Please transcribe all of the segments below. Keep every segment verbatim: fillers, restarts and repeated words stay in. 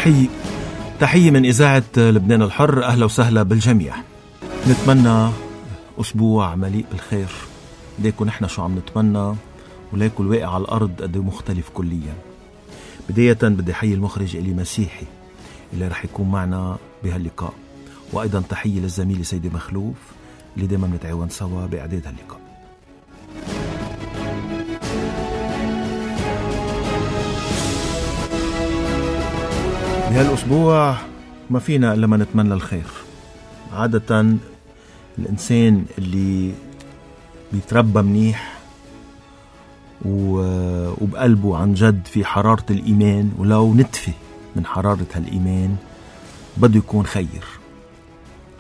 تحية تحية من إذاعة لبنان الحر. أهلا وسهلا بالجميع. نتمنى أسبوع مليء بالخير. ليكو نحن شو عم نتمنى وليكو الواقع على الأرض قد مختلف كليا. بداية بدي حيي المخرج إلي مسيحي اللي رح يكون معنا بهاللقاء، وأيضا تحية للزميل سيدي مخلوف اللي دايما نتعاون سوا بإعداد هاللقاء. بهالأسبوع ما فينا إلا ما نتمنى الخير. عادة الإنسان اللي بيتربى منيح وبقلبه عن جد في حرارة الإيمان ولو نتفة من حرارة هالإيمان بده يكون خير.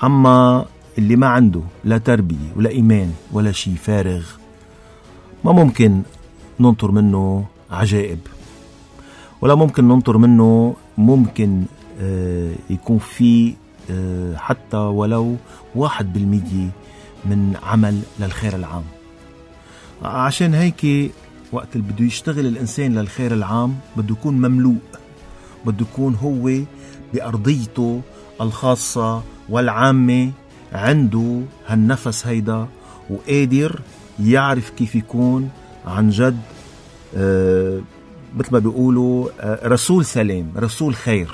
أما اللي ما عنده لا تربية ولا إيمان ولا شيء فارغ ما ممكن ننطر منه عجائب، ولا ممكن ننطر منه ممكن آه يكون في آه حتى ولو واحد بالمية من عمل للخير العام. عشان هيك وقت اللي بده يشتغل الإنسان للخير العام بده يكون مملوء، بده يكون هو بأرضيته الخاصة والعامة عنده هالنفس هيدا وقادر يعرف كيف يكون عن جد آه مثل ما بيقولوا آه رسول سلام، رسول خير.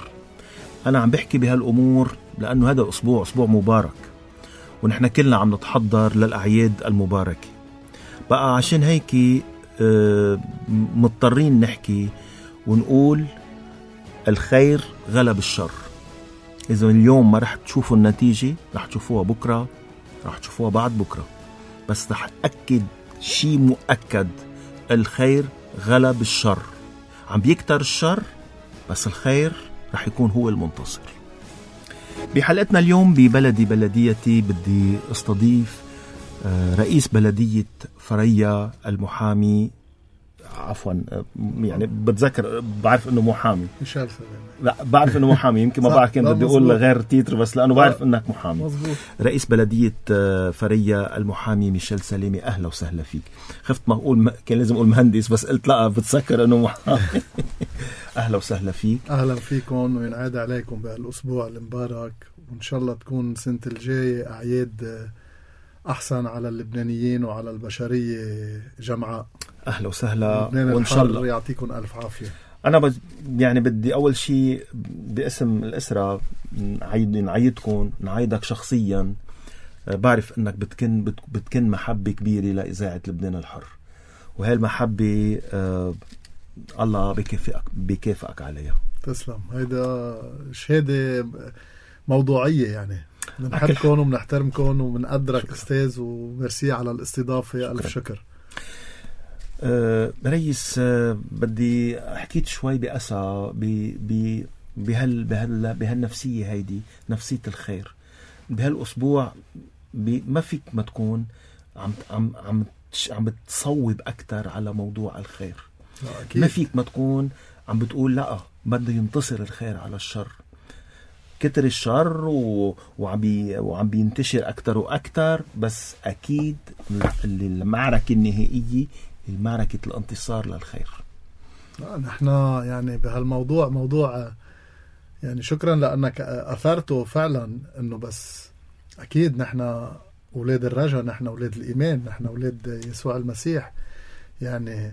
أنا عم بحكي بهالأمور لأنه هذا أسبوع أسبوع مبارك، ونحن كلنا عم نتحضر للأعياد المباركة. بقى عشان هيك آه مضطرين نحكي ونقول الخير غلب الشر. إذا اليوم ما رح تشوفوا النتيجة رح تشوفوها بكرة، رح تشوفوها بعد بكرة، بس رح أكد شيء مؤكد: الخير غلب الشر. عم بيكتر الشر بس الخير رح يكون هو المنتصر. بحلقتنا اليوم ببلدي بلديتي بدي استضيف رئيس بلدية فريا المحامي، عفوا يعني بتذكر بعرف انه محامي ميشيل سلامي. لا بعرف انه محامي، يمكن ما بعرف كان بدي اقول غير تيتر بس لانه بعرف انك محامي. مزبوط. رئيس بلدية فريا المحامي ميشيل سلامي، اهلا وسهلا فيك. خفت ما اقول م... كان لازم اقول مهندس بس قلت لا بتذكر انه محامي. اهلا وسهلا فيك. اهلا فيكم وينعاد عليكم بهالاسبوع المبارك، وان شاء الله تكون سنة الجاي اعياد احسن على اللبنانيين وعلى البشرية جمعاء. اهلا وسهلا وان شاء الله يعطيكم الف عافية. انا بج... يعني بدي اول شيء باسم الاسرة نعيد نعيدكم نعيدك شخصيا. بعرف انك بتكن بت... بتكن محبة كبيرة لاذاعة لبنان الحر، وهي المحبة آه... الله بكافئك بكافئك عليها. تسلم. هيدا شهادة موضوعية، يعني بنحبكم وبنحترمكم وبنقدرك استاذ، وميرسي على الاستضافة. شكرا. ألف شكر. أه رئيس، أه بدي حكيت شوي بأسى ب بهال بهال بهالنفسية هيدي، نفسية الخير. بهالأسبوع ما فيك ما تكون عم عم عم عم بتصوب أكتر على موضوع الخير. أكيد. ما فيك ما تكون عم بتقول لا بده ينتصر الخير على الشر. كتر الشر و... وعم بي... وعم بينتشر أكتر وأكتر، بس أكيد المعركة النهائية المعركة الانتصار للخير. نحن يعني بهالموضوع موضوع يعني شكرا لأنك أثرته فعلا، إنه بس أكيد نحن أولاد الرجاء، نحن أولاد الإيمان، نحن أولاد يسوع المسيح يعني.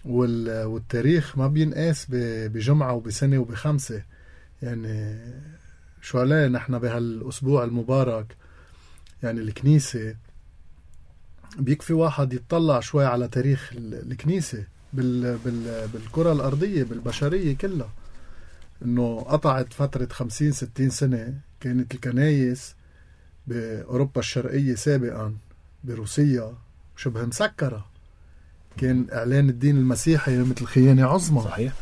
وال... والتاريخ ما بينقاس ب... بجمعة وبسنة وبخمسة يعني. شو عليه نحن بهالأسبوع المبارك يعني الكنيسة بيكفي واحد يتطلع شوي على تاريخ الكنيسة بال بال بالكرة الأرضية بالبشرية كلها، إنه قطعت فترة خمسين ستين سنة. كانت الكنايس بأوروبا الشرقية سابقا بروسيا شبه مسكرة. كان إعلان الدين المسيحي مثل خيانة عظمى. صحيح.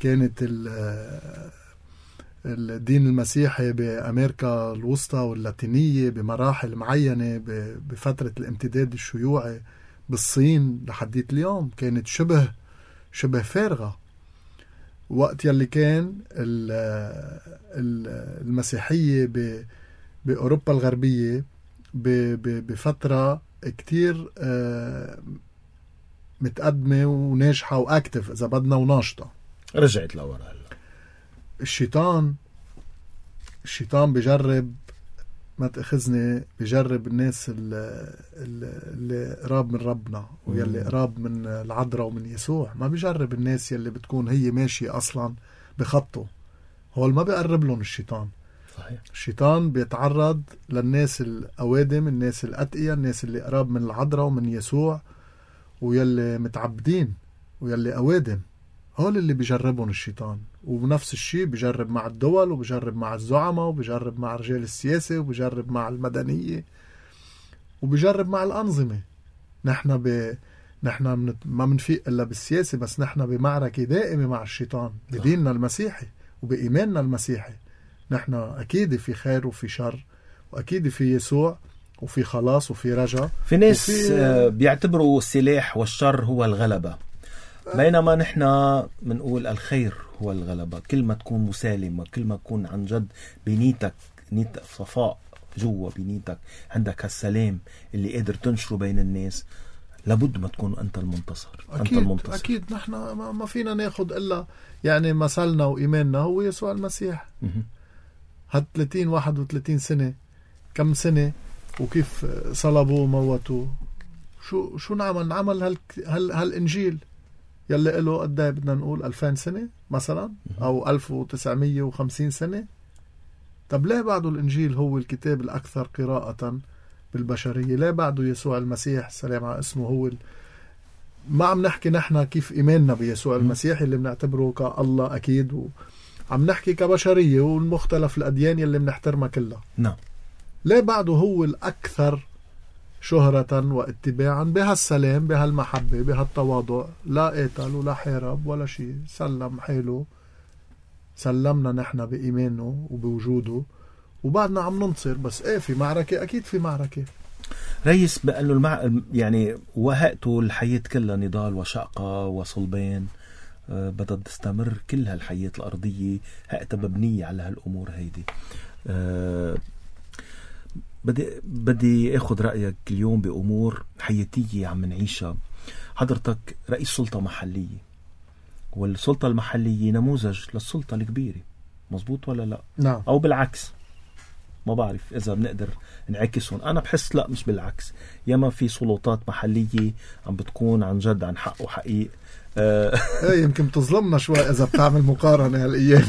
كانت الدين المسيحي بأمريكا الوسطى واللاتينية بمراحل معينة بفترة الامتداد الشيوعي بالصين لحديت اليوم كانت شبه شبه فارغة. وقت يلي كان المسيحية بأوروبا الغربية بفترة كتير متقدمة وناجحة وأكتف إذا بدنا وناشطة. رجعت لورا هلا. الشيطان الشيطان بجرب، ما تأخذني، بجرب الناس اللي, اللي قراب من ربنا ويلي قراب من العذراء ومن يسوع. ما بجرب الناس يلي بتكون هي ماشية أصلا بخطه، هو ما بيقرب لهم الشيطان. صحيح. الشيطان بيتعرض للناس الأوادم، الناس الأتقية، الناس اللي قراب من العذراء ومن يسوع ويلي متعبدين ويلي أوادم، هول اللي بيجربهم الشيطان. وبنفس الشيء بيجرب مع الدول، وبيجرب مع الزعماء، وبيجرب مع رجال السياسة، وبيجرب مع المدنية، وبيجرب مع الأنظمة. نحن ب... نحن من... ما منفيق إلا بالسياسة، بس نحن بمعركة دائمة مع الشيطان بديننا المسيحي وبإيماننا المسيحي. نحن أكيد في خير وفي شر، وأكيد في يسوع وفي خلاص وفي رجاء. في ناس وفي... بيعتبروا السلاح والشر هو الغلبة، بينما نحن منقول الخير هو الغلبة. كل ما تكون مسالمة، كل ما تكون عن جد بنيتك نيتك صفاء جوا بنيتك، عندك هالسلام اللي قادر تنشره بين الناس، لابد ما تكون أنت المنتصر. أكيد. أنت المنتصر. أكيد. نحن ما فينا ناخد إلا يعني مثلنا وإيماننا هو يسوع المسيح. هاد ثلاثين واحد وثلاثين سنة، كم سنة وكيف صلبوا وموتوا، شو شو نعمل نعمل هال هال هالإنجيل يلي له قد ايه بدنا نقول ألفين سنة مثلا، أو ألف وتسعمية وخمسين سنة. طب ليه بعده الإنجيل هو الكتاب الأكثر قراءة بالبشرية؟ ليه بعده يسوع المسيح السلام على اسمه هو ال... ما عم نحكي نحن كيف إيماننا بيسوع المسيح اللي بنعتبره كالله أكيد، وعم نحكي كبشرية والمختلف الأديان اللي بنحترمها كلها. نعم. ليه بعده هو الأكثر شهرة واتباعا بهالسلام، بهالمحبة، بهالتواضع، لا قاتل ولا حارب ولا شيء، سلم حاله، سلمنا نحن بإيمانه وبوجوده، وبعدنا عم ننتصر. بس ايه في معركة، أكيد في معركة. ريس بأنه المع... يعني وهقته الحياة كلها نضال وشقة وصلبان، أه بدها تستمر كل هالحياة الأرضية، هقتها مبنية على هالأمور هيدي. أه بدي بدي اخذ رايك اليوم بامور حياتيه عم نعيشها. حضرتك رئيس سلطه محليه، والسلطه المحليه نموذج للسلطه الكبيره، مزبوط ولا لا؟ نعم. او بالعكس، ما بعرف اذا بنقدر نعكسهم. انا بحس لا، مش بالعكس. ياما في سلطات محليه عم بتكون عن جد عن حق وحقيق. ايه يمكن تظلمنا شوي اذا بتعمل مقارنه هالايام.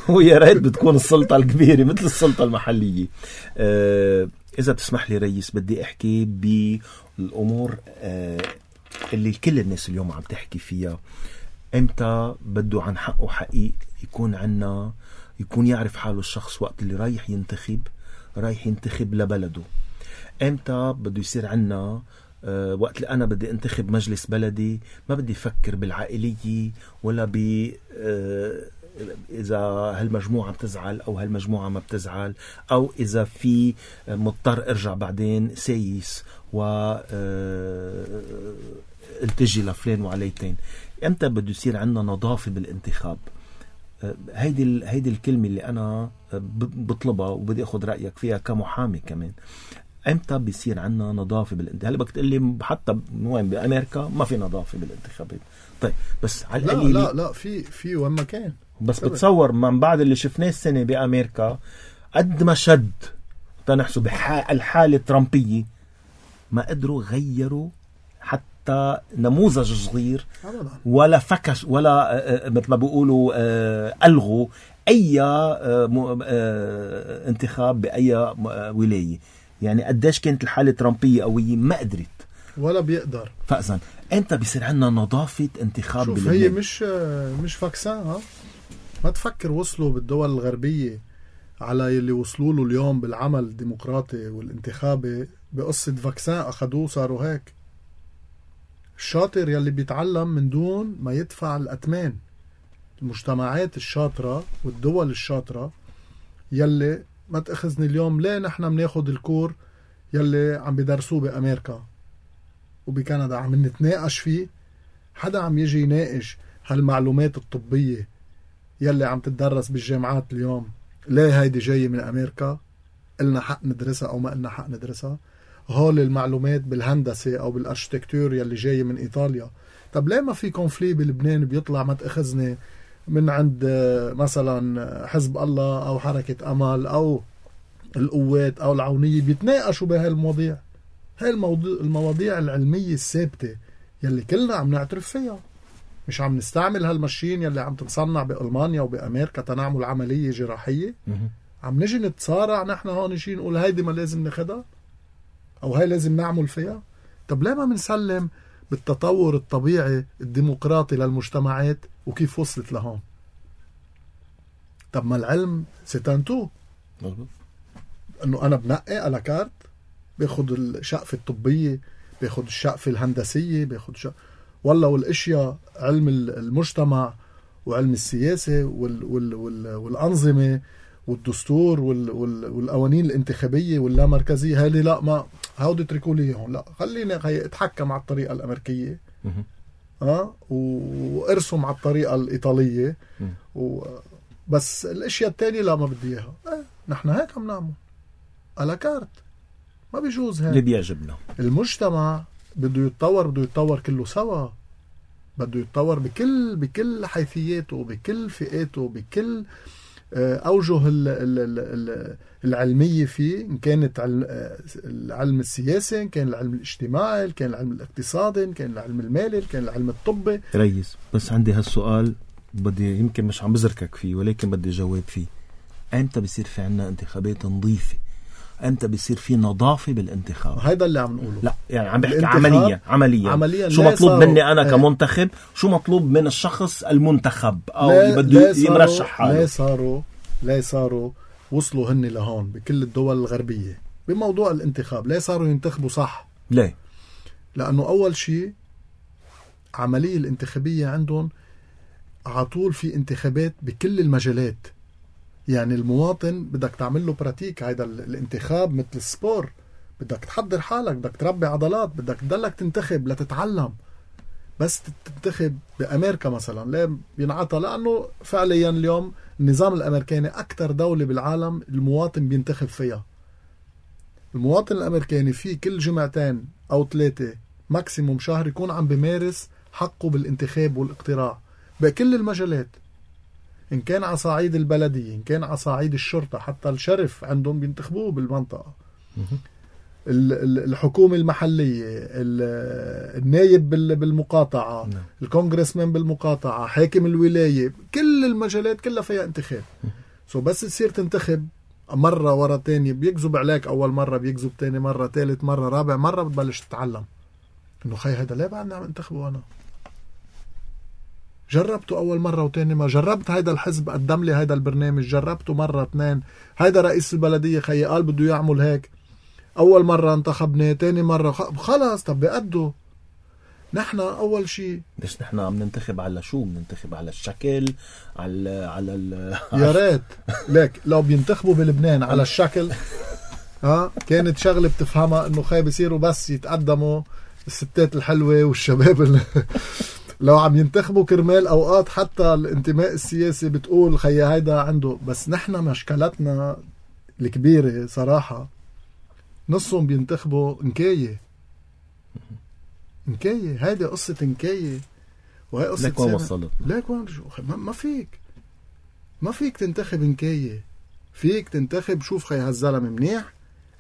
ويا ريت بتكون السلطه الكبيره مثل السلطه المحليه. اذا بتسمح لي ريس، بدي احكي بالامور اللي كل الناس اليوم عم تحكي فيها. امتى بده عن حق وحقيق يكون عنا، يكون يعرف حاله الشخص وقت اللي رايح ينتخب، رايح ينتخب لبلده. امتى بده يصير عنا أه وقت اللي أنا بدي انتخب مجلس بلدي، ما بدي أفكر بالعائلية ولا ب أه إذا هالمجموعة بتزعل أو هالمجموعة ما بتزعل، أو إذا في مضطر أرجع بعدين سايس و أه التجي لفلان وعليتين. أمتى بده يصير عنا نظافة بالانتخاب؟ أه هيدي هيدي الكلمة اللي أنا بطلبها وبدي أخذ رأيك فيها كمحامي كمان. امتى بيصير عنا نظافه بالانتخابات؟ هلا بدك تقول لي حتى وين بامريكا ما في نظافه بالانتخابات. طيب بس على القليل لا لا لا في في وين ما كان. بس بتصور من بعد اللي شفناه السنه بامريكا قد ما شد تنحسب الحاله الترامبيه، ما قدروا غيروا حتى نموذج صغير أبداً. ولا فكس ولا مثل ما بيقولوا الغوا اي انتخاب باي ولايه. يعني قديش كانت الحالة ترامبية قوية، ما قدرت ولا بيقدر. فأذن أنت بيصير عنا نظافة انتخاب. شوف هي مش مش فاكسان. ها ما تفكر وصلوا بالدول الغربية على يلي وصلوا له اليوم بالعمل الديمقراطي والانتخابي بقصة فاكسان أخدوه صاروا هيك. الشاطر يلي بيتعلم من دون ما يدفع الأتمان. المجتمعات الشاطرة والدول الشاطرة يلي ما تأخذني اليوم. ليه نحن بناخد الكور يلي عم بدرسوه بأمريكا وبكندا عم نتناقش فيه؟ حدا عم يجي يناقش هالمعلومات الطبية يلي عم تدرس بالجامعات اليوم؟ ليه هيدي جاية من أمريكا، إلنا حق ندرسها أو ما إلنا حق ندرسها؟ هول المعلومات بالهندسة أو بالأرشتكتور يلي جاية من إيطاليا، طب ليه ما في كونفلي بلبنان بيطلع ما تأخذني من عند مثلا حزب الله أو حركة أمل أو القوات أو العونية بيتناقشوا بهاي المواضيع؟ هاي الموضوع المواضيع العلمية الثابتة يلي كلنا عم نعترف فيها، مش عم نستعمل هالماشين يلي عم تتصنع بألمانيا وبأمريكا تنعمل عملية جراحية. عم نجي نتصارع نحن هون شيء نقول هيدي ما لازم ناخدها أو هاي لازم نعمل فيها. طب ليه ما منسلم بالتطور الطبيعي الديمقراطي للمجتمعات وكيف وصلت لهون؟ طب ما العلم ستانتو انه انا بنقي على كارت، باخد الشقفة الطبية، باخد الشقفة الهندسية، باخد شق... والله والاشياء علم المجتمع وعلم السياسة وال... وال... وال... والأنظمة والدستور وال... وال... والقوانين الانتخابية واللامركزية، هذه لا ما هودي اتركوا لي هون، لا خليني اتحكم على الطريقة الأمريكية اه وارسم على الطريقة الإيطالية و... بس الاشياء التانية لا ما بدي اياها. اه نحن هيك عم نعمل على كارت، ما بيجوز هيك. اللي بيعجبنا المجتمع بده يتطور، بده يتطور كله سوا، بده يتطور بكل بكل حيثياته، بكل فئاته، بكل أوجه العلمية فيه، إن كانت العلم السياسي، إن كان العلم الاجتماعي، إن كان العلم الاقتصادي، إن كان العلم المالي، إن كان العلم الطبي. ريس بس عندي هالسؤال بدي يمكن مش عم بزركك فيه ولكن بدي جواب فيه. أنت بيصير في عنا انتخابات نظيفة؟ أنت بيصير في نظافة بالانتخاب؟ هيدا اللي عم نقوله. لا يعني عم بحكي عمليا عمليا, عملياً شو مطلوب مني أنا ايه. كمنتخب، شو مطلوب من الشخص المنتخب أو اللي بده يمرشح حاله؟ لا صاروا لا صاروا وصلوا هن لهون بكل الدول الغربية بموضوع الانتخاب. لا صاروا ينتخبوا صح. ليه؟ لأنه أول شيء عملية الانتخابية عندهم عطول في انتخابات بكل المجالات. يعني المواطن بدك تعمل له براتيك، هيدا الانتخاب مثل السبور، بدك تحضر حالك، بدك تربي عضلات، بدك تضلك تنتخب لتتعلم. بس تنتخب بأمريكا مثلا ليه بينعطى؟ لأنه فعليا اليوم النظام الأمريكاني أكتر دولة بالعالم المواطن بينتخب فيها. المواطن الأمريكاني فيه كل جمعتين أو ثلاثة ماكسيموم شهر يكون عم بمارس حقه بالانتخاب والاقتراع بكل المجالات، إن كان على صعيد البلدية، إن كان على صعيد الشرطة، حتى الشرف عندهم بينتخبوه بالمنطقة، الحكومة المحلية، النايب بالمقاطعة، الكونغرسمان بالمقاطعة، حاكم الولاية، كل المجالات كلها فيها انتخاب. سو بس تصير تنتخب مرة ورا تاني، بيكذب عليك أول مرة، بيكذب تاني مرة، ثالث مرة، رابع مرة، بتبلش تتعلم إنه خي هيدا ليه بعدني عم انتخبه أنا؟ جربته أول مرة وتاني ما جربت، هيدا الحزب قدم لي هيدا البرنامج، جربته مرة اثنين، هيدا رئيس البلدية خي قال بده يعمل هيك، أول مرة انتخبني، تاني مرة خلاص طب بقده. نحن أول شيء ليش نحن عم ننتخب على شو؟ بننتخب على الشكل، على على ال يا ريت ليك لو بينتخبوا بلبنان على الشكل ها كانت شغلة بتفهمها إنه خي بيصيروا بس يتقدموا الستات الحلوة والشباب اللي لو عم ينتخبوا كرمال أوقات حتى الانتماء السياسي بتقول خي هيدا عنده. بس نحن مشكلتنا الكبيرة صراحة نصهم بينتخبوا انكاية انكاية هيدي قصة انكاية، وهي قصة ليك وين وصلت؟ ليك وين ما, ما فيك ما فيك تنتخب انكاية، فيك تنتخب شوف خي هالزلمة منيح،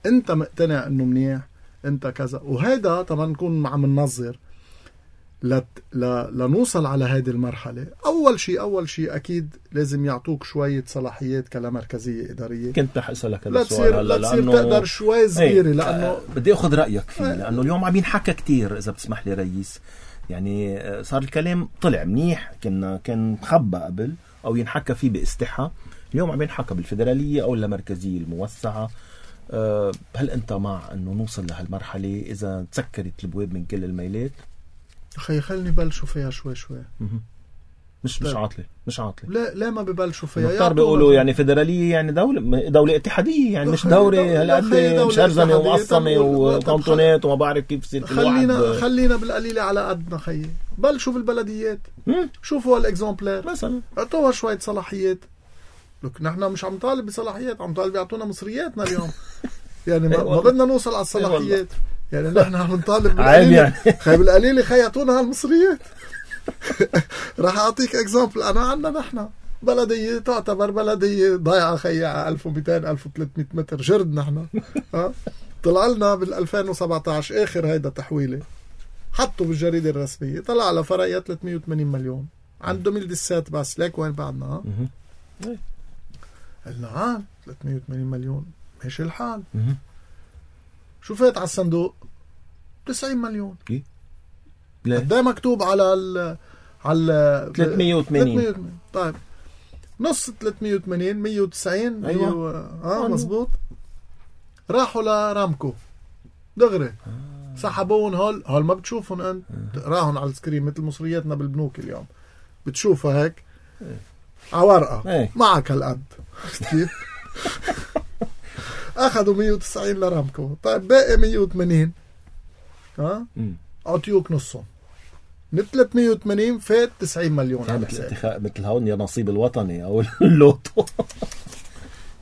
انت مقتنع انه منيح، انت كذا. وهيدا طبعا نكون عم ننظر لت... ل... لنوصل على هذه المرحلة. أول شيء أول شيء أكيد لازم يعطوك شوية صلاحيات كمركزية إدارية. كنت رح أسألك هذا السؤال هلا لا تصير تقدر شوي صغيرة لأنه آه بدي أخذ رأيك فيه آه لأنه اليوم عم ينحكى كتير إذا بتسمح لي رئيس، يعني صار الكلام طلع منيح، كنا كان مخبى قبل أو ينحكى فيه باستحى، اليوم عم ينحكى بالفيدرالية أو المركزية الموسعة. أه هل أنت مع أنه نوصل لهالمرحلة إذا تسكرت البواب من كل الميلات؟ أخي خلني بلشوا فيها شوي شوي. مش مش عاطلة مش عاطلة لا لا ما ببلشوا فيها. مختار بيقولوا يعني فيدرالية يعني دولة دولة اتحادية يعني مش دورة هالقد مشرزمة ومقسمة وكانتونات وما بعرف كيف يصير. خلينا خلينا بالقليلة على قدنا خيي. بلشوا بالبلديات شوفوا هالاكزامبلير مثلا اعطوها شوية صلاحيات. لك نحن مش عم طالب بصلاحيات، عم طالب يعطونا مصرياتنا اليوم يعني ما, ما بدنا نوصل على الصلاحيات. يعني نحن عم نطالب عيب يعني. خي بالقليل خيطونا هالمصريات. راح اعطيك اكزامبل. انا عنا نحن بلدية تعتبر بلدية ضايعة خيا ألف ومئتين ألف وثلاثمئة متر جرد نحن. ها طلع لنا بال ألفين وسبعة عشر اخر هيدا تحويلة حطوا بالجريدة الرسمية طلع على فريا ثلاثمئة وثمانين مليون عنده ميل دسات بس. ليك وين بعدنا؟ ها قلنا عال ثلاثمئة وثمانين مليون ماشي الحال. شو فات على الصندوق؟ تسعين مليون. قد ايه مكتوب على ال على ثلاثمئة وثمانين؟ طيب نص ثلاثمئة وثمانين مئة وتسعين. ايوه و... اه مزبوط. راحوا لرامكو دغري آه. سحبون هول هول ما بتشوفهم انت آه. راهن على السكرين مثل مصرياتنا بالبنوك اليوم بتشوفها هيك آه. على ورقه آه. معك هالقد كيف. اخذوا مئة وتسعين لرامكو. طيب باقي مئة وثمانين ها اعطيوك نصهم. من ثلاثمئة وثمانين فات تسعين مليون. يعني مثل اتخاء مثل هون يا نصيب الوطني او اللوتو.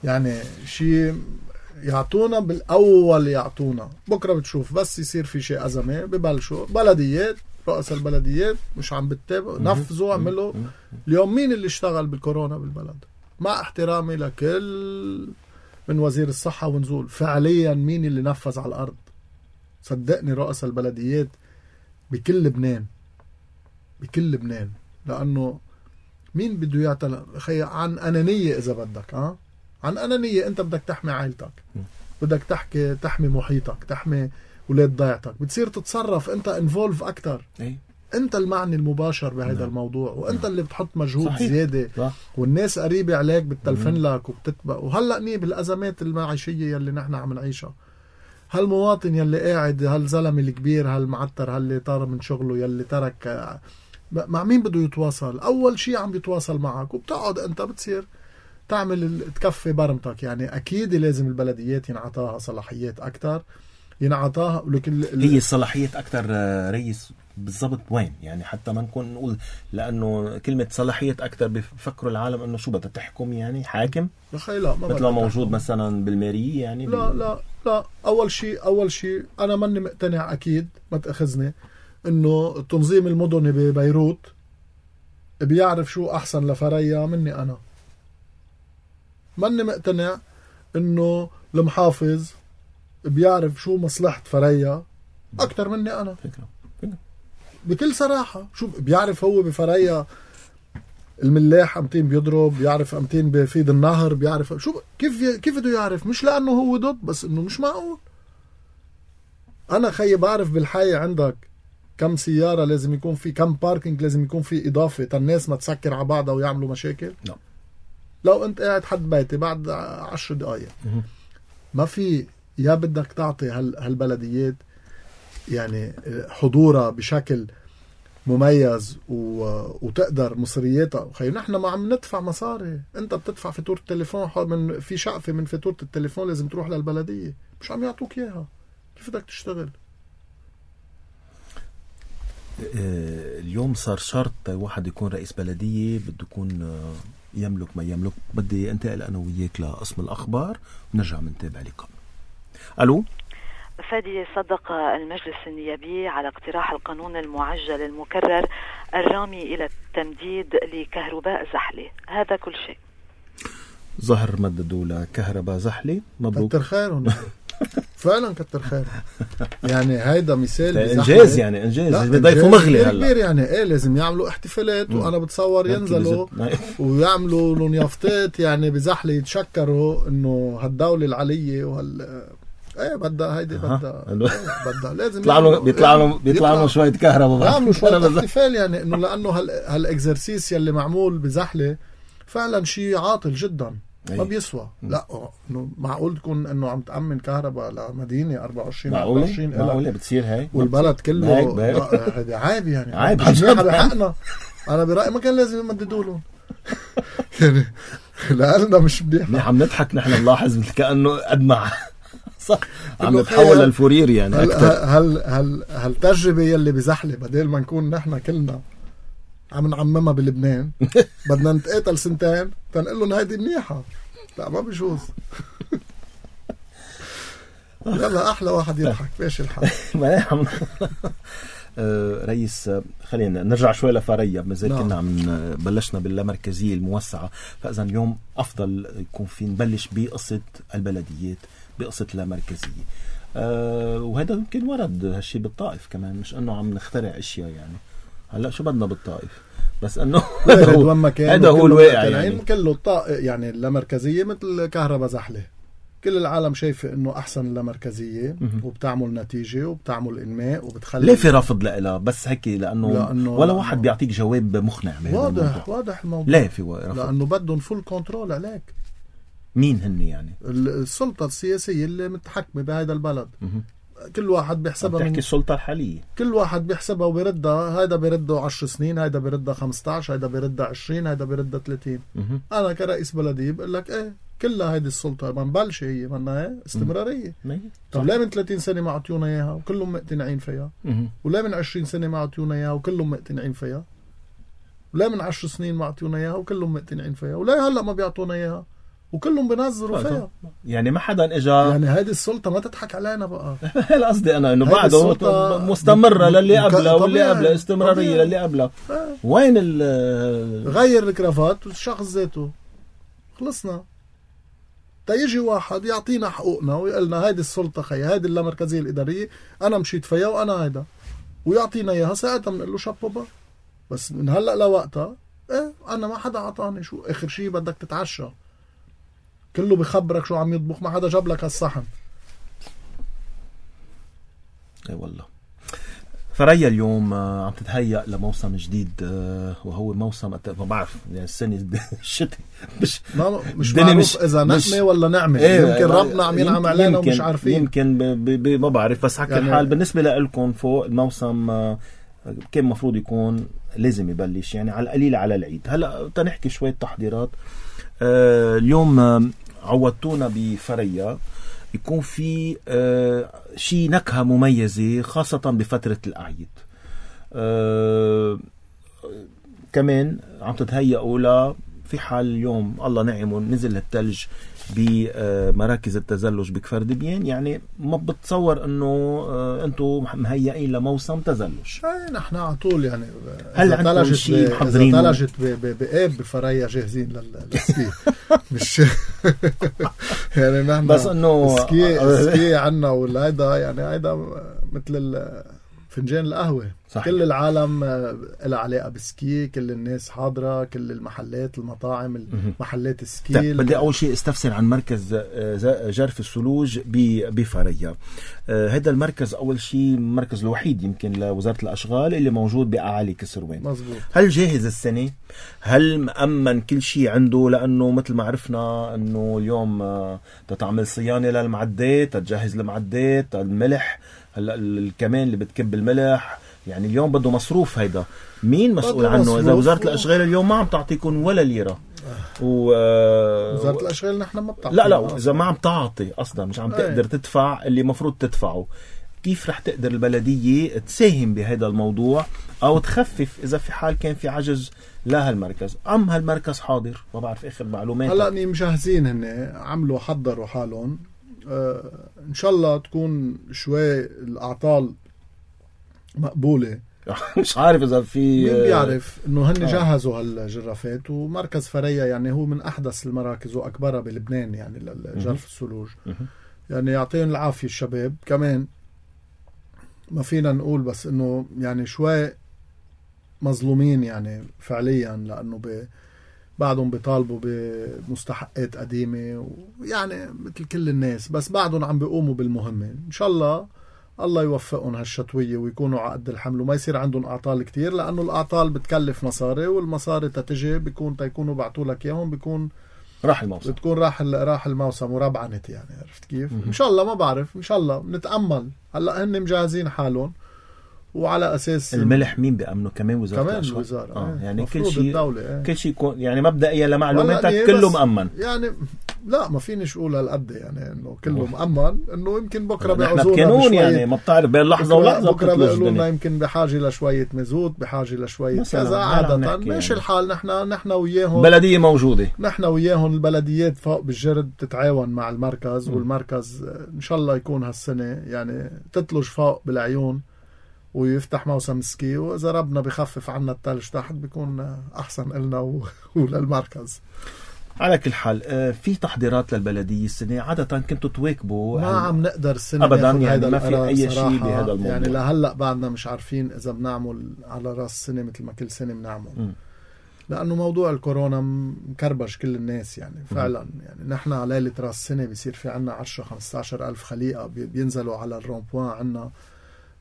يعني شيء يعطونا بالاول يعطونا بكره بتشوف بس يصير في شيء ازمه ببلشوا بلديات رؤساء البلديات مش عم بتتابعوا نفذوا عملوا. اليوم مين اللي اشتغل بالكورونا بالبلد؟ مع احترامي لكل من وزير الصحه ونزول فعليا مين اللي نفذ على الارض؟ صدقني رؤساء البلديات بكل لبنان بكل لبنان. لانه مين بده يعتل خي عن انانيه اذا بدك ها عن انانيه. انت بدك تحمي عائلتك بدك تحكي تحمي محيطك تحمي اولاد ضيعتك بتصير تتصرف انت انفولف اكثر. انت المعني المباشر بهذا نعم. الموضوع وانت اللي بتحط مجهود صحيح. زياده صح. والناس قريبه عليك بتلفن لك وبتتبع. وهلا ني بالازمات المعيشيه يلي نحن عم نعيشها هالمواطن يلي قاعد هالزلمه الكبير هالمعتر هاللي طار من شغله يلي ترك مع مين بده يتواصل؟ اول شيء عم بيتواصل معك وبتقعد انت بتصير تعمل تكفي برمتك. يعني اكيد لازم البلديات ينعطاها صلاحيات اكثر ينعطاها ولكن هي الصلاحيات اكثر رئيس بالضبط وين يعني حتى ما نكون نقول لانه كلمه صلاحيات اكثر بفكروا العالم انه شو بدها تحكم يعني حاكم لا ما مثل موجود تحكم. مثلا بالماريه يعني لا بال... لا لا اول شيء اول شيء انا ماني مقتنع اكيد ما تاخذني انه التنظيم المدني ببيروت بيعرف شو احسن لفريا مني انا. ماني مقتنع انه المحافظ بيعرف شو مصلحة فريا اكتر مني انا. فكرة. فكرة. بكل صراحة شو بيعرف هو بفريا الملاح امتين بيضرب بيعرف امتين بفيد النهر بيعرف شو كيف كيف بده يعرف مش لانه هو ضد بس انه مش معقول. انا خيي بعرف بالحي عندك كم سيارة لازم يكون في كم باركينج لازم يكون في اضافة الناس ما تسكر على بعضها ويعملوا مشاكل. لا. لو انت قاعد حد بيتي بعد عشر دقايق ما في يا بدك تعطي هال هالبلديات يعني حضورها بشكل مميز و... وتقدر مصرياتها. خي نحن ما عم ندفع مصاري. انت بتدفع فاتورة التليفون من في شقفة من فاتورة التليفون لازم تروح للبلدية مش عم يعطوك اياها. كيف بدك تشتغل؟ اليوم صار شرط واحد يكون رئيس بلدية بده يكون يملك ما يملك. بدي انتقل انا وياك لقسم الاخبار ونرجع منتابع لقاء. الو فادي. صدق المجلس النيابي على اقتراح القانون المعجل المكرر الرامي الى التمديد لكهرباء زحلة. هذا كل شيء. ظهر مددوا لكهرباء زحلة. مبروك. كتر خيرهم فعلا كتر خير. يعني هيدا مثال انجاز يعني انجاز بيضيفوا مغلي هلا كبير يعني ايه لازم يعملوا احتفالات م. وانا بتصور ينزلوا ويعملوا لهم يافطات يعني بزحلة يتشكروا انه هالدولة العلية وهال ايه بدها هيدي بدها بدها لازم بيطلع له بيطلع له بيطلع له شويه كهرباء يعملوا شويه احتفال يعني انه لانه هال هالاكزرسيس يلي معمول بزحلة فعلا شيء عاطل جدا. أيه. ما بيسوى. لا انه معقول تكون انه عم تأمن كهرباء لمدينة أربعة وعشرين أربعة وعشرين معقولة بتصير هاي والبلد كله هذا عيب يعني عيب بحقنا. انا برأيي ما كان لازم يمددوا لهم يعني لأننا مش منيح. عم نضحك نحن نلاحظ مثل كأنه أدمع صح عم نتحول للفورير يعني هل هل هل هالتجربة يلي بزحلة بدل ما نكون نحن كلنا عم نعممها بلبنان بدنا نتقاتل سنتين تنقل لهم هيدي منيحة. لا ما بيجوز. يلا أحلى واحد يضحك فيش الحال. آه رئيس، خلينا نرجع شوي لفريا. مازال نعم. كنا عم بلشنا باللامركزية الموسعة، فإذا اليوم أفضل يكون في نبلش بقصة البلديات، بقصة اللامركزية. آه وهذا يمكن ورد هالشي بالطائف كمان، مش أنه عم نخترع أشياء يعني. هلا شو بدنا بالطائف، بس أنه هذا هو, هذا هو الواقع يعني. كله الطائف يعني اللامركزية مثل كهرباء زحلة، كل العالم شايفة انه احسن اللامركزية وبتعمل نتيجة وبتعمل انماء وبتخلي. ليه في رفض لها بس هيك؟ لانه, لأنه ولا واحد لأنه بيعطيك جواب مقنع بهذا واضح الموضوع. واضح الموضوع. ليه في رفض؟ لانه بدهم فول كنترول عليك. مين هن يعني؟ السلطة السياسية اللي متحكمة بهذا البلد. مه. كل واحد بيحسبها. بتحكي السلطة الحالية. كل واحد بيحسبها وبيردها، هيدا بيردها عشر سنين، هيدا بيردها خمسة عشر، هيدا بيردها عشرين، هيدا بيردها ثلاثين. مه. انا كرئيس بلدية بقول لك ايه كلها هيدي السلطة ما نبلش هي منا ايه استمرارية. طب ليه من ثلاثين سنة ما عطيونا اياها وكلهم مقتنعين فيها؟ مه. وليه من عشرين سنة ما عطيونا اياها وكلهم مقتنعين فيها؟ وليه من عشر سنين ما عطيونا اياها وكلهم مقتنعين فيها؟ وليه هلا ما بيعطونا اياها وكلهم بنظروا فيها؟ يعني ما حدا اجا. يعني هيدي السلطة ما تضحك علينا بقى. هلا قصدي انا انه بعده مستمرة للي قبله واللي قبله، استمرارية للي قبله. وين ال غير الكرافات والشخص ذاته خلصنا. تيجي واحد يعطينا حقوقنا ويقلنا هيدي السلطة خي، هيدي اللامركزية الإدارية أنا مشيت فيها وأنا هيدا، ويعطينا إياها ساعتها بنقول له شابوبا. بس من هلأ لوقتها إيه أنا ما حدا عطاني. شو آخر شيء بدك تتعشى كله بخبرك شو عم يطبخ، ما حدا جاب لك هالصحن. اي والله. فريا اليوم عم تتهيأ لموسم جديد، وهو موسم ما بعرف يعني السنة الشتاء مش مش معروف إذا نقمة ولا نعمة. ايه يمكن ربنا عم ينعم علينا ومش عارفين. يمكن ما بعرف. بس حكي يعني الحال بالنسبة لكم فوق الموسم كان مفروض يكون لازم يبلش يعني على القليل على العيد. هلأ تنحكي شوية تحضيرات. آه اليوم عودتونا بفريا يكون في آه شي نكهة مميزة خاصة بفترة الأعياد. آه كمان عم تتهيئوا لا في حال اليوم الله نعم نزل الثلج بمراكز التزلج بكفر دبيان، يعني ما بتصور انه آه انتم مهيئين لموسم تزلج. اي نحن على طول يعني هل عندكم شيء محضرين؟ اذا ثلجت بقاب بفريا جاهزين للسكي. مش يعني نحن بس انه سكي سكي عنا ولا هيدا يعني هيدا مثل فنجان القهوة. صحيح. كل العالم لها علاقة بالسكي، كل الناس حاضرة، كل المحلات المطاعم المحلات السكي. بدي أول شيء استفسر عن مركز جرف الثلوج بفريا. هذا المركز أول شيء مركز الوحيد يمكن لوزارة الأشغال اللي موجود بأعالي كسروان. مزبوط. هل جاهز السنة؟ هل مأمن كل شيء عنده؟ لأنه مثل ما عرفنا أنه اليوم تتعمل صيانة للمعدات، تجهز المعدات، الملح، هلا الكمان اللي بتكب الملح، يعني اليوم بده مصروف. هيدا مين مسؤول عنه؟ إذا وزارة الأشغال اليوم ما عم تعطيكم ولا ليرة و... وزارة الأشغال نحن ما بتعطي. لا لا إذا ما عم تعطي أصلا مش عم تقدر تدفع اللي مفروض تدفعه، كيف رح تقدر البلدية تساهم بهذا الموضوع أو تخفف إذا في حال كان في عجز لا هالمركز؟ أم هالمركز حاضر؟ ما بعرف آخر معلومات. هلأ ني مجهزين هن عملوا حضروا حالهم. آه إن شاء الله تكون شوي الأعطال مقبولة. مش عارف إذا في مين بيعرف إنه هن جهزوا هالجرافات. ومركز فريا يعني هو من أحدث المراكز وأكبرها بلبنان يعني للجرف الثلوج. يعني يعطيهم العافية الشباب. كمان ما فينا نقول بس إنه يعني شوي مظلومين يعني فعليا، لأنه ب بعدهم بيطالبوا بمستحقات قديمة ويعني مثل كل الناس، بس بعدهم عم بيقوموا بالمهمة. إن شاء الله الله يوفقهم هالشتوية ويكونوا على قد الحمل وما يصير عندهم أعطال كتير، لأنه الأعطال بتكلف مصاري، والمصاري تتجي بيكون تيكونوا بعتوا لك إياهم بيكون راح الموسم، بتكون راح راح الموسم وربعنت يعني. عرفت كيف؟ م- إن شاء الله ما بعرف، إن شاء الله بنتأمل. هلأ هن مجهزين حالهم وعلى اساس الملح مين بيأمنه؟ كمان وزاره كمان الاشغال. الوزاره آه. اه. يعني كل شيء الدولة اه. كل شيء يكون يعني مبدئيا لمعلوماتك كله مأمن. يعني لا ما فينيش اقول هالقد يعني انه كله مأمن، انه يمكن بكره نحن بيعوزونا بقانون يعني ما بتعرف بين لحظه ولحظه بكره بيقولوا لنا يمكن بحاجه لشويه مازوت، بحاجه لشويه كذا. عاده ماشي يعني. الحال نحن نحن وياهم بلديه موجوده، نحن وياهم البلديات فوق بالجرد تتعاون مع المركز، م. والمركز ان شاء الله يكون هالسنه يعني تتلج فوق بالعيون ويفتح موسم سكي، واذا ربنا بخفف عنا الثلج تحت بيكون احسن لنا وللمركز. على كل حال في تحضيرات للبلديه السنه، عاده كنتوا تواكبوا ما عم نقدر السنه ابدا يعني ما في اي شيء بهذا الموضوع يعني لهلا بعدنا مش عارفين اذا بنعمل على راس السنه مثل ما كل سنه بنعمل، م. لانه موضوع الكورونا مكربش كل الناس يعني فعلا. م. يعني نحن على ليله راس السنه بيصير في عنا عشرة خمسة عشر ألف خليقه بينزلوا على الرومبوان عنا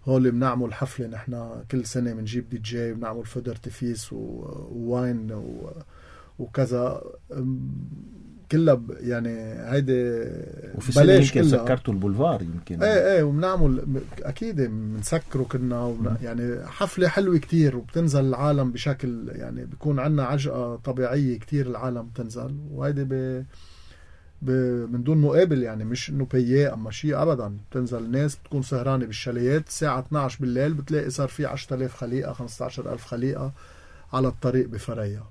هول. بنعمل حفله نحن كل سنه بنجيب دي جي وبنعمل فود ارتفيس وواين و وكذا كلها يعني هيدي وفي سنة يمكن سكرتوا البولفار يمكن ايه ايه وبنعمل اكيد بنسكره كنا يعني حفلة حلوة كتير وبتنزل العالم بشكل يعني بيكون عنا عجقة طبيعية كتير العالم بتنزل، وهيدي ب من دون مقابل يعني مش انه بياه اما شيء ابدا. بتنزل الناس بتكون سهرانة بالشاليات الساعة اثني عشر بالليل بتلاقي صار في عشرة آلاف خليقة خمسة عشر ألف خليقة على الطريق بفريا.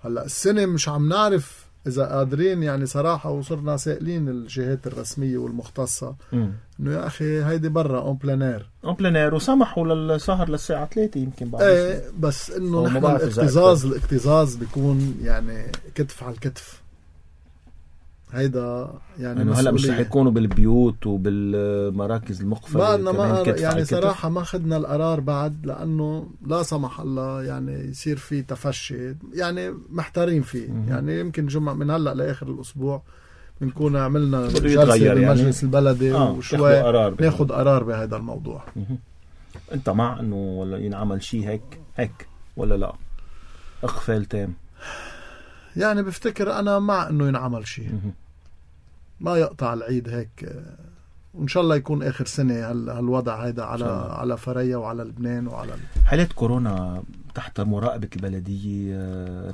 هلا السنة مش عم نعرف إذا قادرين يعني صراحة، وصرنا سائلين الجهات الرسمية والمختصة إنه يا أخي هيدي برا أون بلانير أون بلانير وسمحوا للسهر للساعة ثلاثة يمكن بعد. إيه بس إنه نحن الاكتظاظ الاكتظاظ بيكون يعني كتف على الكتف. هيدا يعني هلا مش رح يكونوا بالبيوت وبالمراكز المقفلة بعدنا ما يعني صراحة ما خدنا القرار بعد، لأنه لا سمح الله يعني يصير في تفشي يعني محتارين فيه. م- يعني يمكن جمعة من هلأ لآخر الأسبوع بنكون عملنا جلسة بالمجلس يعني البلدي آه وشوي ناخد قرار بهذا الموضوع. م- أنت مع أنه ولا ينعمل شيء هيك هيك ولا لا إقفال تام؟ يعني بفتكر أنا مع أنه ينعمل شيء ما يقطع العيد هيك، وإن شاء الله يكون آخر سنة هالوضع هيدا على على فريا وعلى لبنان وعلى حالات كورونا تحت مراقبة البلدية.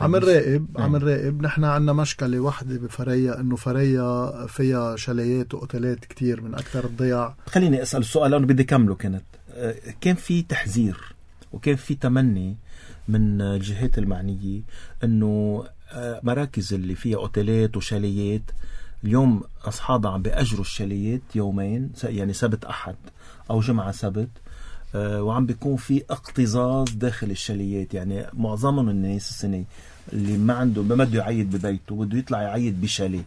عم نراقب عم نراقب نحن عنا مشكلة واحدة بفريا، إنه فريا فيها شاليات وأوتيلات كتير من أكثر الضياع. خليني أسأل السؤال لأنه بدي كمله. كانت كان في تحذير وكان في تمني من الجهات المعنية إنه مراكز اللي فيها أوتيلات وشاليات اليوم أصحابها عم بيأجروا الشاليات يومين يعني سبت أحد أو جمعة سبت، أه وعم بيكون في اقتزاز داخل الشاليات. يعني معظمهم الناس السنة اللي ما عنده ما بده يعيد ببيته بده يطلع يعيد بشاليه.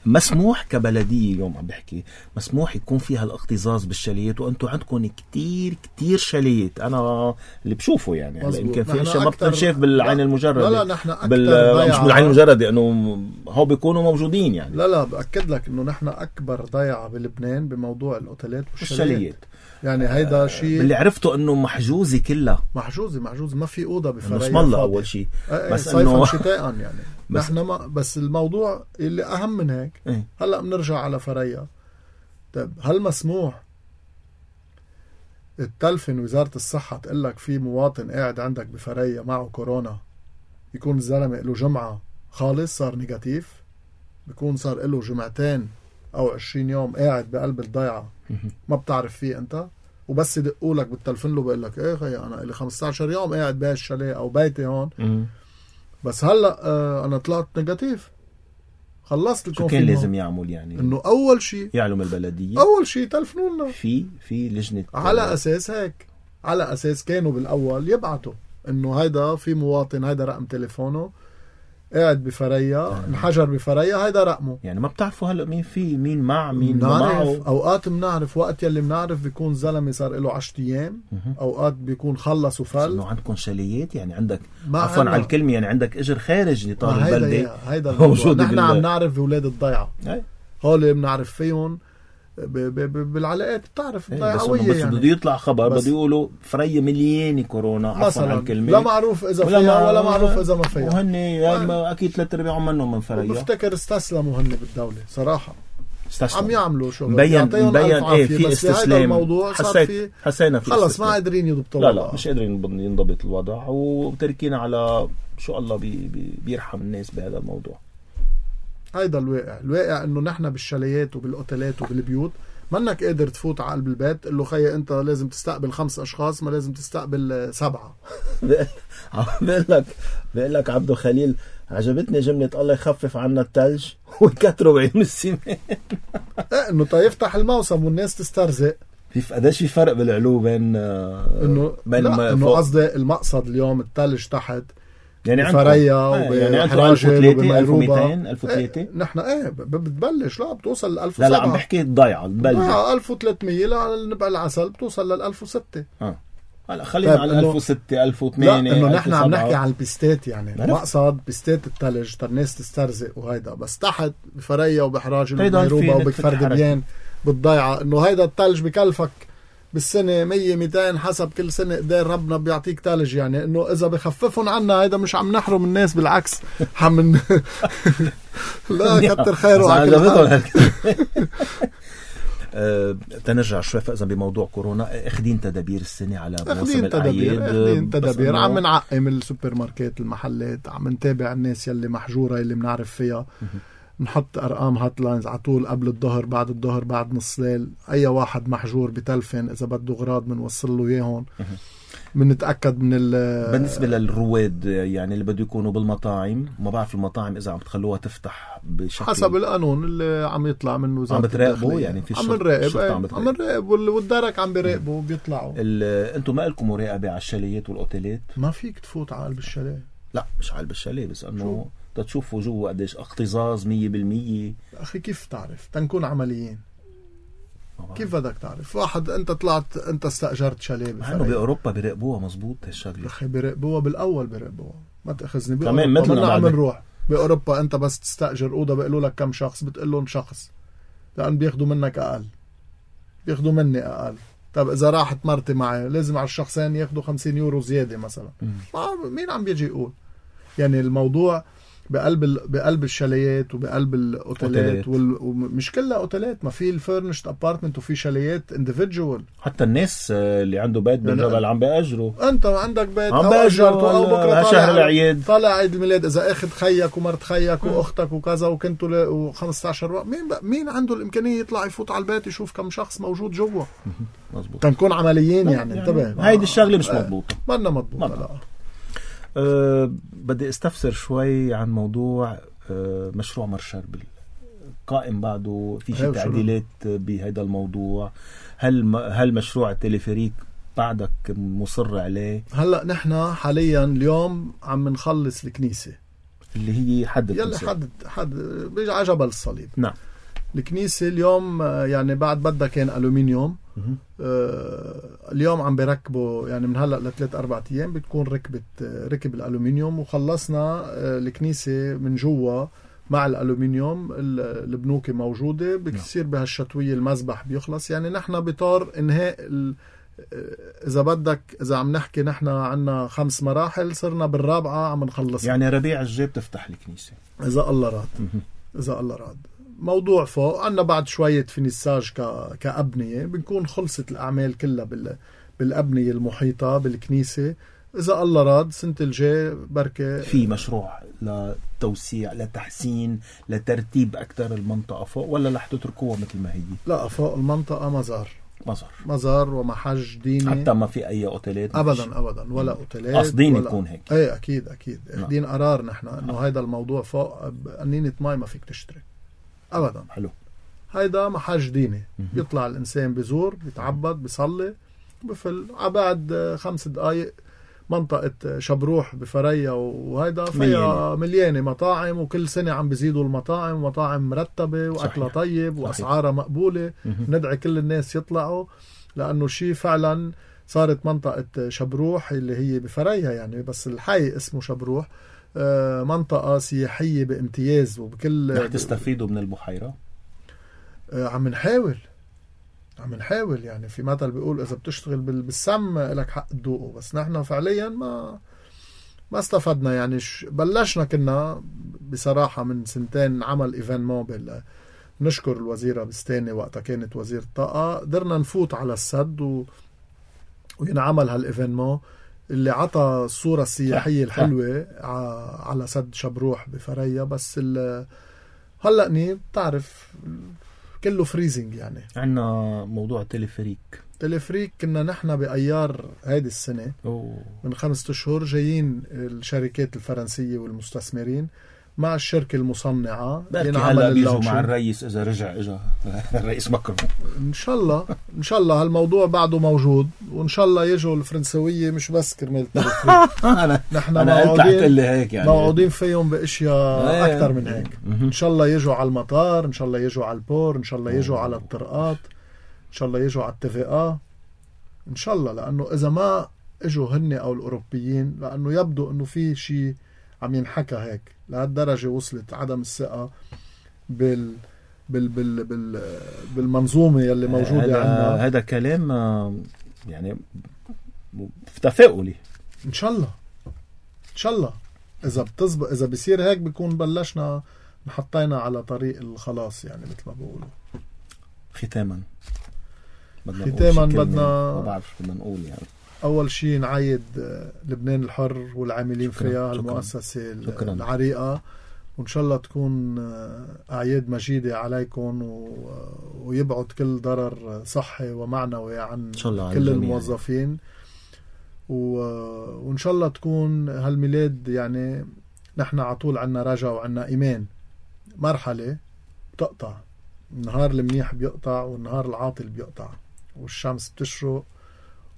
مسموح كبلدية اليوم عم بحكي مسموح يكون فيها الاقتزاز بالشاليات، وأنتوا عندكم كتير كتير شاليات أنا اللي بشوفه يعني هلا يمكن في أشياء ما بتنشاف بالعين المجردة. لا لا نحن أكتر بال... مش بالعين المجردة إنه هو بيكونوا موجودين يعني. لا لا بأكد لك إنه نحن أكبر ضيعة بلبنان بموضوع الأوتيلات والشاليات. يعني هيدا شيء اللي عرفته انه محجوزه كلها محجوزه محجوزه ما في اوضه بفريا اسم الله اول شيء بس صيفا شتاء يعني بس نحن ما بس الموضوع اللي اهم من هيك ايه؟ هلا بنرجع على فريا. طيب هل مسموح التلفن وزاره الصحه تقول لك في مواطن قاعد عندك بفريا معه كورونا يكون الزلمه له جمعه خالص صار نيجاتيف، بيكون صار له جمعتين او عشرين يوم قاعد بقلب الضيعه ما بتعرف فيه انت، وبس يدقوا لك بالتلفون له بقول لك ايه خي انا لي خمسة عشر يوم قاعد بهالشاليه او بيتي هون بس هلا آه انا طلعت نيجاتيف خلصت الكونفينمون. شو كان لازم يعمل يعني؟ انه اول شيء يعلم البلديه اول شيء تلفنونا في في لجنه على اساس هيك على اساس كانوا بالاول يبعتوا انه هيدا في مواطن هيدا رقم تليفونه قاعد بفريا انحجر بفريا هيدا رقمه. يعني ما بتعرفوا هلا مين في مين مع مين معه. معه اوقات بنعرف وقت يلي بنعرف بيكون زلمه صار له عشرة ايام اوقات بيكون خلص وفل. انه عندكم شاليات يعني عندك عفوا على الكلمه يعني عندك اجر خارج لطار البلده هيدا موجود. نحن عم نعرف بولاد الضيعه هول بنعرف فيهم ب ب بالعلاقات بتعرف الضيعويه بس يعني بده يطلع خبر بده يقولوا فريا مليانه كورونا عفوا على الكلمه لا معروف اذا فيها ولا معروف اذا ما فيها وهن يعني اكيد ثلاث ارباعهم منهم من فريا. بفتكر استسلموا هن بالدوله صراحه استسلم. عم يعملوا شغل مبين مبين ايه في استسلام. الموضوع صار في حسينا في خلص ما قادرين يضبطوا لا لا مش قادرين ينضبط الوضع وتركينا على شو الله بي بي بيرحم الناس بهذا الموضوع. هيدا الواقع. الواقع انه نحن بالشاليات وبالاوتيلات وبالبيوت منك قادر تفوت على قلب البيت قل له خيي انت لازم تستقبل خمس اشخاص، ما لازم تستقبل سبعة. بقول لك بقول لك عبدو خليل، عجبتني جملة الله يخفف عنا الثلج ويكتروا بعيون السمان. ايه انه تيفتح الموسم والناس تسترزق. في قديش في فرق بالعلو بين انه بين لا انه قصدي المقصد اليوم الثلج تحت يعني بفريا وبحراجل وبميروبا ألف وثلاثمية. ايه نحن ايه بتبلش لا بتوصل ل ألف وسبعة. لا لا عم بحكي الضيعة بتبلش ألف وثلاثمية لنبع العسل بتوصل لل ألف وستة. اه هلا خلينا على ألف وستة ألف وثمانية. لا انه نحن عم نحكي على البيستات يعني المقصد بيستات الثلج تر الناس تسترزق وهيدا، بس تحت بفريا وبحراجل وبميروبا وبكفر دبيان بالضيعة انه هيدا الثلج بكلفك بالسنة مية ميتين حسب كل سنة قدر ربنا بيعطيك تلج. يعني انه اذا بخففهم عنا هيدا مش عم نحرم الناس، بالعكس حم لا كتر خيره على أه، تنرجع شوي فإذا بموضوع كورونا، اخدين تدابير السنة على موسم الأعياد. اخدين تدابير، عم نعقم السوبر ماركت المحلات، عم نتابع الناس يلي محجورة يلي بنعرف فيها، نحط أرقام هات لاينز على طول قبل الظهر بعد الظهر بعد نص ليل، أي واحد محجور بتلفن إذا بده غراض بنوصل له إياهم. بنتأكد من ال بالنسبة للرواد يعني اللي بده يكونوا بالمطاعم، ما بعرف المطاعم إذا عم تخلوها تفتح بشكل حسب القانون اللي عم يطلع منه عم بتراقبوا يعني في عم نراقب عم عم نراقب والدرك عم بيراقبوا وبيطلعوا. انتم ما لكم مراقبة على الشاليات والأوتيلات؟ ما فيك تفوت على قلب الشاليه. لا مش على قلب الشاليه، بس انه تشوفوا جوا قديش اكتظاظ مية بالمية. أخي كيف تعرف تنكون عمليين؟ كيف بدك تعرف؟ واحد انت طلعت انت استأجرت شاليه بفريق، انه باوروبا بيراقبوها مزبوط هالشغله. اخي بيراقبوها بالاول بيراقبوها، ما تاخذني كمان مثلنا عم نروح باوروبا انت بس تستأجر اوضه بيقولوا لك كم شخص، بتقول لهم شخص لان بياخذوا منك اقل، بياخذوا مني اقل. طب اذا راحت مرتي معي لازم على الشخصين ياخذوا خمسين يورو زياده مثلا. ما مين عم بيجي يقول؟ يعني الموضوع بقلب ال... بقلب الشاليات وبقلب الاوتيلات وال... ومش كلها اوتيلات، ما في الفيرنشت ابارتمنت وفي شاليات انديفيدوال. حتى الناس اللي عنده بيت بالجبل يعني عم بيأجروا. انت عندك بيت عم بيأجروا او بكره شهر العيد طالع عيد الميلاد، اذا اخذ خيك ومرت خيك واختك وكذا وكنتوا ل... وخمسة عشر مين ب... مين عنده الامكانيه يطلع يفوت على البيت يشوف كم شخص موجود جوا؟ مظبوط. تنكون عمليين يعني, يعني انتبه. هيدي الشغله مش مضبوطه. ما لنا مضبوطه. لا أه بدي استفسر شوي عن موضوع أه مشروع مرشربل قائم بعده في شيء تعديلات بهذا الموضوع. هل هل مشروع التلفريك بعدك مصر عليه؟ هلا نحن حاليا اليوم عم نخلص الكنيسه اللي هي حد يلي حد حد بيجي على جبل الصليب. نعم. الكنيسه اليوم يعني بعد بدها كان ألومنيوم. آه اليوم عم بركبوا يعني من هلا لثلاث اربع ايام بتكون ركبت ركب الالومنيوم وخلصنا آه الكنيسه من جوا مع الالومنيوم. البنوكه موجوده بتصير بهالشتويه المذبح بيخلص. يعني نحن بطار انهاء اذا بدك اذا عم نحكي نحن عنا خمس مراحل صرنا بالرابعه عم نخلص. يعني ربيع الجاي بتفتح الكنيسه اذا الله راد. اذا الله راد. موضوع فوق عنا بعد شوية فينيساج كأبنية بنكون خلصت الأعمال كلها بال... بالأبنية المحيطة بالكنيسة. إذا الله راد سنة الجاي بركة في مشروع لتوسيع لتحسين لترتيب أكثر المنطقة فوق، ولا رح تتركوها مثل ما هي؟ لا فوق المنطقة مزار مزار مزار ومحج ديني. حتى ما في أي أوتيلات؟ أبدا أبدا ولا أوتيلات. قصدين يكون هيك؟ ايه أكيد أكيد اخدين قرار نحن إنه هيدا الموضوع فوق قنينة ماي ما فيك تشتري أبدا. حلو. هيدا محج ديني بيطلع الإنسان بزور بيتعبد بيصلي بفل عبعد خمس دقايق منطقة شبروح بفريا وهيدا فيها مليانة مطاعم وكل سنة عم بيزيدوا المطاعم ومطاعم مرتبة وأكلها طيب وأسعارها مقبولة. ندعي كل الناس يطلعوا لأنه شيء فعلا صارت منطقة شبروح اللي هي بفريا يعني بس الحي اسمه شبروح منطقة سياحية بامتياز وبكل. رح تستفيدوا من البحيرة؟ عم نحاول عم نحاول يعني في مثل بيقول إذا بتشتغل بالسم لك حق تدوقه، بس نحن فعليا ما ما استفدنا. يعني بلشنا كنا بصراحة من سنتين عمل إيفينمون بال نشكر الوزيرة بستاني وقتها كانت وزير الطاقة، قدرنا نفوت على السد و... وينعمل هالإيفينمون اللي عطى الصورة السياحية الحلوة على سد شبروح بفريا. بس هلأ ني بتعرف كله فريزنج يعني. عنا موضوع تليفريك تليفريك كنا نحن بأيار هيدي السنة أوه. من خمسة أشهر جايين الشركات الفرنسية والمستثمرين مع الشركة المصنعة. بركي هلا بيجوا مع الرئيس إذا رجع إجا الرئيس ماكرون إن شاء الله. إن شاء الله هالموضوع بعده موجود، وإن شاء الله يجوا الفرنسوية مش بس كرمال التليفريك. نحن موعودين يعني. موعودين فيهم بأشياء أكثر من هيك. إن شاء الله يجوا على المطار، إن شاء الله يجوا على البور، إن شاء الله يجوا على الطرقات، إن شاء الله يجوا على التفاقة إن شاء الله. لأنه إذا ما إجوا هن أو الأوروبيين، لأنه يبدو أنه في شيء عم ينحكى هيك لهالدرجة وصلت عدم الثقة بال بال بال بال بالمنظومة يلي موجودة عندنا. هذا كلام يعني تفاؤلي. إن شاء الله إن شاء الله إذا بتزبط، إذا بيصير هيك بيكون بلشنا نحطينا على طريق الخلاص يعني مثل ما بقولوا. ختاما ختاما بدنا ما بعرف بدنا نقول يعني أول شيء نعيد لبنان الحر والعاملين شكرا فيها، شكرا المؤسسة شكرا العريقة، وإن شاء الله تكون أعياد مجيدة عليكم و... ويبعد كل ضرر صحي ومعنوي عن كل الموظفين و... وإن شاء الله تكون هالميلاد يعني نحن عطول عنا رجا وعنا إيمان. مرحلة بتقطع، النهار المنيح بيقطع والنهار العاطل بيقطع والشمس بتشرق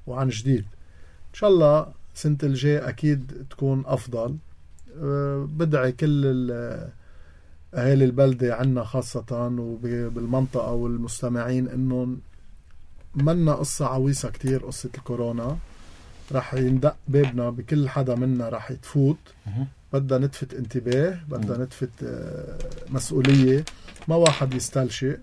وعن جديد. إن شاء الله سنة الجاي أكيد تكون أفضل. أه بدعي كل أهالي البلدة عنا خاصة وبالمنطقة والمستمعين إنه منا قصة عويصة كتير، قصة الكورونا رح يندق بابنا بكل حدا منا رح يتفوت. بدنا نتفت انتباه، بدنا نتفت أه مسؤولية، ما واحد يستلشئ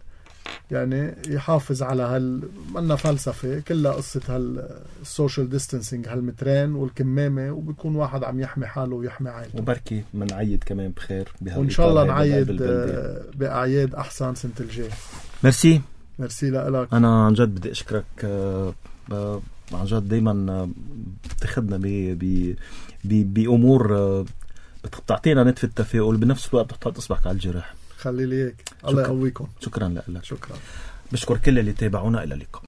يعني يحافظ على هال منا فلسفة كلها قصة هالسوشيال ديستانسينج، هالمترين والكمامة، وبيكون واحد عم يحمي حاله ويحمي عائلته. وبركي منعيد كمان بخير وإن شاء الله نعيد بأعياد أحسن سنة الجاي. ميرسي ميرسي لك. أنا عن جد بدي أشكرك عن جد. دايما بتاخدنا بأمور بتعطينا نتف التفاؤل، بنفس الوقت بتحط إصبعك على الجرح. خلي لي هيك. الله يقويكم. شكرا لك. شكرا. بشكر كل اللي تابعونا. إلى اللقاء.